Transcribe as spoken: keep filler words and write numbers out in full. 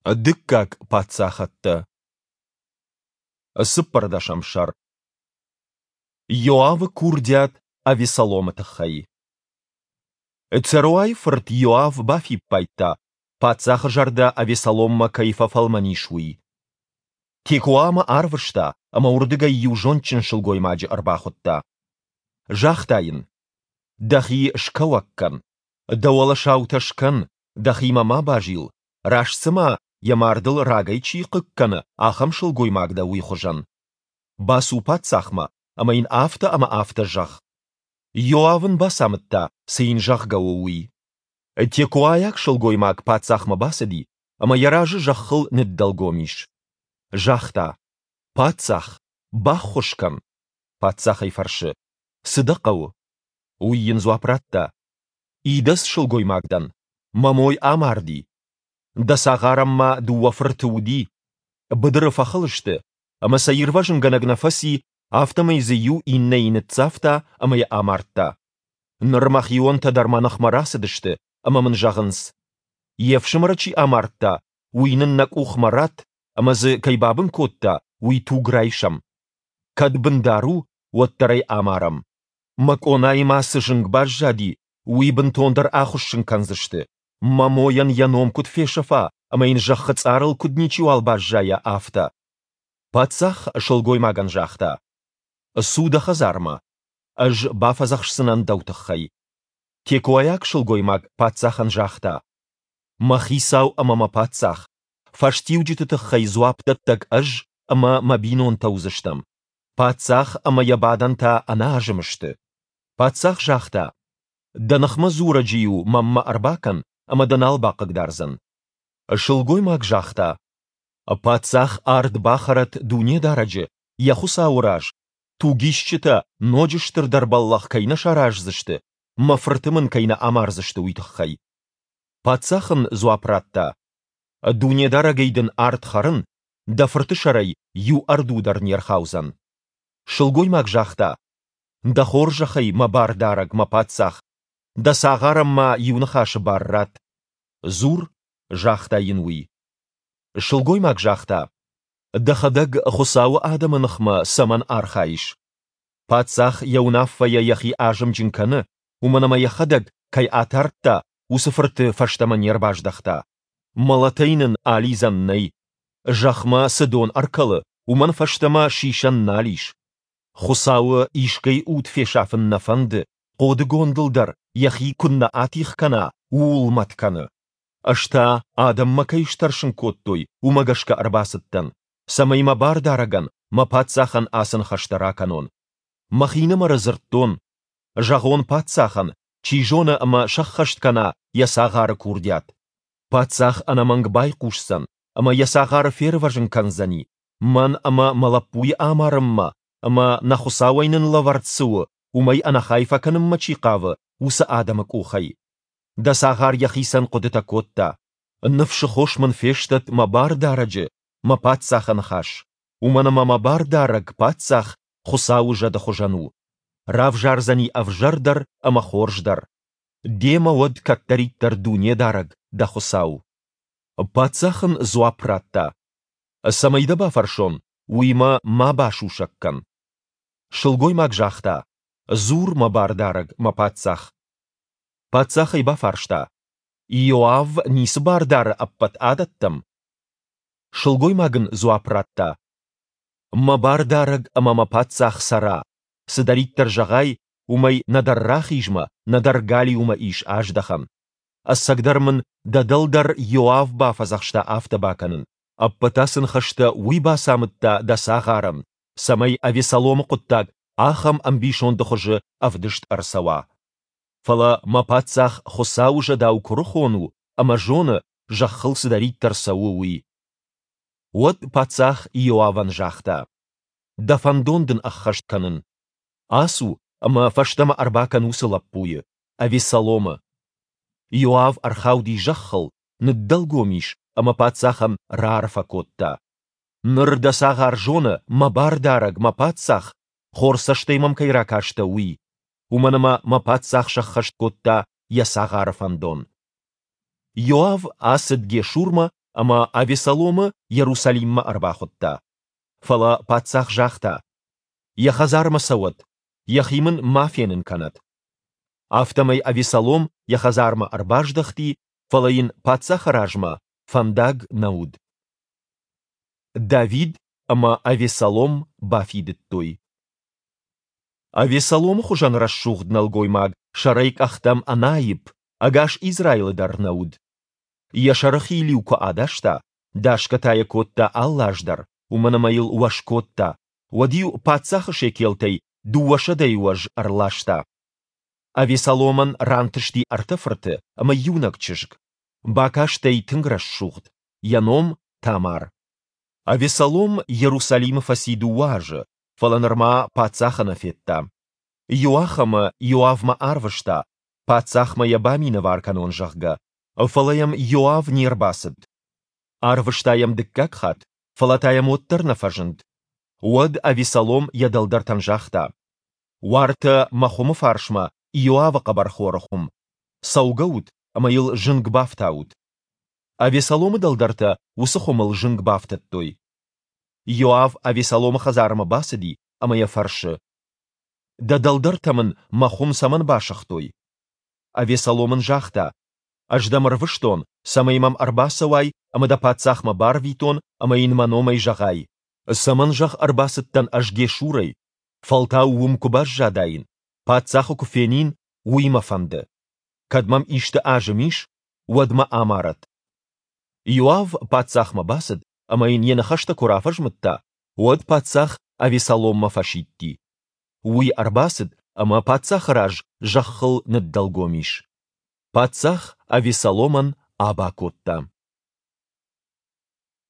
Дыккаг паддзахӕдтӕ. Цыппӕрдӕсӕм сӕр. Иоавы курдиат Авессаломы тыххӕй. Церуайы фырт Иоав бафиппайдта, паддзахы зӕрдӕ Авессаломмӕ кӕй фӕфӕлмӕн ис, уый. Текоамӕ арвыста ӕмӕ уырдыгӕй иу зондджын сылгоймаджы ӕрбахуыдта. Загъта йын: Дӕхи скӕуӕг кӕн, дӕ уӕлӕ саутӕ скӕн, дӕхимӕ ма базил, раст цыма, йӕ мардыл рагӕй чи хъыг кӕны, ахӕм сылгоймаг дӕ, уый хуызӕн. Бацу паддзахмӕ ӕмӕ йын афтӕ ӕмӕ афтӕ зӕгъ. Иоав ын бацамыдта, цы йын зӕгъгӕ у, уый. Текоайаг сылгоймаг паддзахмӕ бацыди ӕмӕ йӕ разы зӕххыл ныддӕлгом ис. Загъта: Паддзах, баххуыс кӕн! Паддзах ӕй фӕрсы: Цы дӕ хъӕуы? Уый йын дзуапп радта: Идӕдз сылгоймаг дӕн, мӕ мой амарди. Дӕ цагъарӕн ма дыууӕ фырты уыди. Быдыры фӕхыл сты, ӕмӕ сӕ ирвӕзынгӕнӕг нӕ фӕци, афтӕмӕй дзы иу иннӕйы ныццавта ӕмӕ йӕ амардта. Ныр мӕхионтӕ дӕр мӕ ныхмӕ рацыдысты ӕмӕ мын зӕгъынц: Йе фсымӕры чи амардта, уый нын нӕ къухмӕ ратт, ӕмӕ дзы кӕй бабын кодта, уый туг райсӕм. Кӕд бындар у, уӕддӕр ӕй амарӕм. Мӕ къонайы ма цы зынг баззади, уый бынтондӕр ахуыссын кӕндзысты, мӕ мойӕн йӕ ном куыд фесӕфа ӕмӕ йын зӕххы цъарыл куыд ничиуал баззайа, афтӕ. Паддзах сылгоймагӕн загъта: Цу дӕ хӕдзармӕ, ӕз бафӕдзӕхсдзынӕн дӕу тыххӕй. Текоайаг сылгоймаг паддзахӕн загъта: Мӕ хицау ӕмӕ мӕ паддзах, фӕстиуджыты тыххӕй дзуапдӕттӕг ӕз ӕмӕ мӕ бинонтӕ уыдзыстӕм. Паддзах ӕмӕ йӕ бадӕн та ӕнӕазым сты. Паддзах загъта: Дӕ ныхмӕ дзурӕджы-иу мӕнмӕ ӕрбакӕн, ӕмӕ дӕ нал бахъыгдардзӕн. Сылгоймаг загъта: Паддзах ард бахӕрӕд Дунедарӕджы, йӕ Хуыцауы раз, тугисджытӕ ноджы стырдӕр бӕллӕх кӕй нӕ сараздзысты, мӕ фырты мын кӕй нӕ амардзысты, уый тыххӕй. Паддзах ын дзуапп радта: Дунедарӕгӕй дын ард хӕрын, дӕ фырты сӕрӕй иу ӕрду дӕр не рхаудзӕн. Сылгоймаг загъта: Дӕ хорзӕхӕй, мӕ бардарӕг, мӕ паддзах, дӕ цагъарӕн ма иу ныхасы бар ратт. Дзур, загъта йын уый. Сылгоймаг загъта: Дӕхӕдӕг Хуыцауы адӕмы ныхмӕ цӕмӕн архайыс? Паддзах йӕ уынаффӕйӕ йӕхи азымджын кӕны, уымӕн ӕмӕ йӕхӕдӕг, кӕй атардта, уыцы фырты фӕстӕмӕ не рбаздӕхта. Мӕлӕтӕй нын алидзӕн нӕй. Зӕхмӕ цы дон ӕркӕлы, уымӕн фӕстӕмӕ сисӕн нал ис. Хуыцауы искӕй уд фесафын нӕ фӕнды, хъодыгондыл дӕр йӕхи куыннӕ атигъ кӕна, ууыл мӕт кӕны. Ӕз та, адӕм мӕ кӕй стӕрсын кодтой, уымӕ гӕсгӕ ӕрбацыдтӕн, цӕмӕй мӕ бардарӕгӕн, мӕ паддзахӕн ацы ныхӕстӕ ракӕнон. Мӕхинымӕры дзырдтон: зӕгъон паддзахӕн, чи зоны, ӕмӕ сӕххӕст кӕна йӕ цагъары курдиат. Паддзах ӕнӕмӕнг байхъусдзӕн ӕмӕ йӕ цагъары фервӕзын кӕндзӕни, мӕн ӕмӕ мӕ лӕппуйы амарынмӕ ӕмӕ, нӕ Хуыцауӕй нын лӕвӕрд цы у, уымӕй ӕнӕхай фӕкӕнынмӕ чи хъавы, уыцы адӕмы къухӕй. Дӕ цагъар йӕхицӕн хъуыдытӕ кодта: Ныфсы хос мын фестӕд мӕ бардарӕджы, мӕ паддзахы ныхас, уымӕн ӕмӕ мӕ бардарӕг, паддзах, Хуыцауы зӕды хуызӕн у. Равзардзӕни ӕвзӕр дӕр ӕмӕ хорз дӕр. Демӕ уӕд кӕддӕриддӕр Дунедарӕг, дӕ Хуыцау. Паддзах ын дзуапп радта: Цӕмӕй дӕ бафӕрсон, уый мӕ ма басусӕг кӕн. Сылгоймаг загъта: Дзур, мӕ бардарӕг, мӕ паддзах. Паддзах ӕй бафарста: Иоав ницы бар дары ӕппӕт адӕттӕм? Сылгоймаг ын дзуапп радта: Мӕ бардарӕг ӕмӕ мӕ паддзах цӕра, цыдӕриддӕр зӕгъай, уымӕй нӕдӕр рахизмӕ, нӕдӕр галиумӕ ис аздӕхӕн. Ӕцӕгдӕр мын дӕ дӕлдӕр Иоав бафӕдзӕхста афтӕ бакӕнын. Ӕппӕт ацы ныхӕстӕ уый бацамыдта дӕ цагъарӕн, цӕмӕй Авессаломы хъуыддаг ахӕм ӕмбисонды хуызы ӕвдыст ӕрцӕуа. Фӕлӕ мӕ паддзах Хуыцауы зӕдау куырыхон у ӕмӕ зоны, зӕххыл цыдӕриддӕр цӕуы, уый. Уӕд паддзах Иоавӕн загъта: Дӕ фӕндон дын ӕххӕст кӕнын. Ацу ӕмӕ фӕстӕмӕ ӕрбакӕн уыцы лӕппуйы, Авессаломы. Иоав ӕрхауди зӕххыл, ныддӕлгом ис ӕмӕ паддзахӕн раарфӕ кодта: Ныр дӕ цагъар зоны, мӕ бардарӕг, мӕ паддзах, хорз цӕстӕй мӕм кӕй ракастӕ, уый, уымӕн ӕмӕ мӕ паддзах сӕххӕст кодта йӕ цагъары фӕндон. Иоав ацыд Гешурмӕ ӕмӕ Авессаломы Иерусалиммӕ ӕрбахуыдта. Фӕлӕ паддзах загъта: Йӕ хӕдзармӕ цӕуӕд, йӕхи мын ма фенын кӕнӕд. Афтӕмӕй Авессалом йӕ хӕдзармӕ ӕрбаздӕхти, фӕлӕ йын паддзахы размӕ фӕндаг нӕ уыд. Давид ӕмӕ Авессалом бафидыдтой. Авессаломы хуызӕн рӕсугъд нӕлгоймаг сӕрӕй къӕхтӕм ӕнаипп ӕгас Израилы дӕр нӕ уыд. Йӕ сӕрыхил-иу куы адаста, дасгӕ та йӕ кодта алы аз дӕр, уымӕн ӕмӕ йыл уӕз кодта, уӕд-иу паддзахы шекелтӕй дыууӕсӕдӕйы уӕз ӕрласта. Авессаломӕн рантысти ӕртӕ фырты ӕмӕ иунӕг чызг. Бакастӕй тынг рӕсугъд, йӕ ном Тамар. Авессалом Иерусалимы фӕци дыууӕ азы, фӕлӕ нырма паддзахы нӕ федта. Иуахӕмы Иоавмӕ арвыста, паддзахмӕ йӕ баминӕвар кӕнон, зӕгъгӕ. Фӕлӕ йӕм Иоав не рбацыд. Арвыста йӕм дыккаг хатт, фӕлӕ та йӕм уӕддӕр нӕ фӕзынд. Уӕд Авессалом йӕ дӕлдӕртӕн загъта: Уартӕ мӕ хуымы фарсмӕ Иоавы хъӕбӕрхоры хуым. Цӕугӕут ӕмӕ йыл зынг бафтаут. Авессаломы дӕлдӕртӕ уыцы хуымыл зынг бафтыдтой. Иоав Авессаломы хӕдзармӕ бацыди ӕмӕ йӕ фӕрсы: Дӕ дӕлдӕртӕ мын мӕ хуым цӕмӕн басыгътой? Авессалом ын загъта: Ӕз дӕм ӕрвыстон, цӕмӕй мӕм ӕрбацӕуай ӕмӕ дӕ паддзахмӕ барвитон ӕмӕ йын мӕ номӕй зӕгъай: Цӕмӕн, зӕгъ, ӕрбацыдтӕн ӕз Гешурӕй? Фӕлтау уым куы баззадаин, паддзахы куы фенин, уый мӕ фӕнды. Кӕд мӕм исты азым ис, уӕд мӕ амарӕд. Иоав паддзахмӕ бацыд ӕмӕ йын йӕ ныхӕстӕ куы рафӕзмыдта, уӕд паддзах Авессаломмӕ фӕсидти. Уый ӕрбацыд ӕмӕ паддзахы раз зӕххыл ныддӕлгом ис. Паддзах Авессаломӕн аба кодта.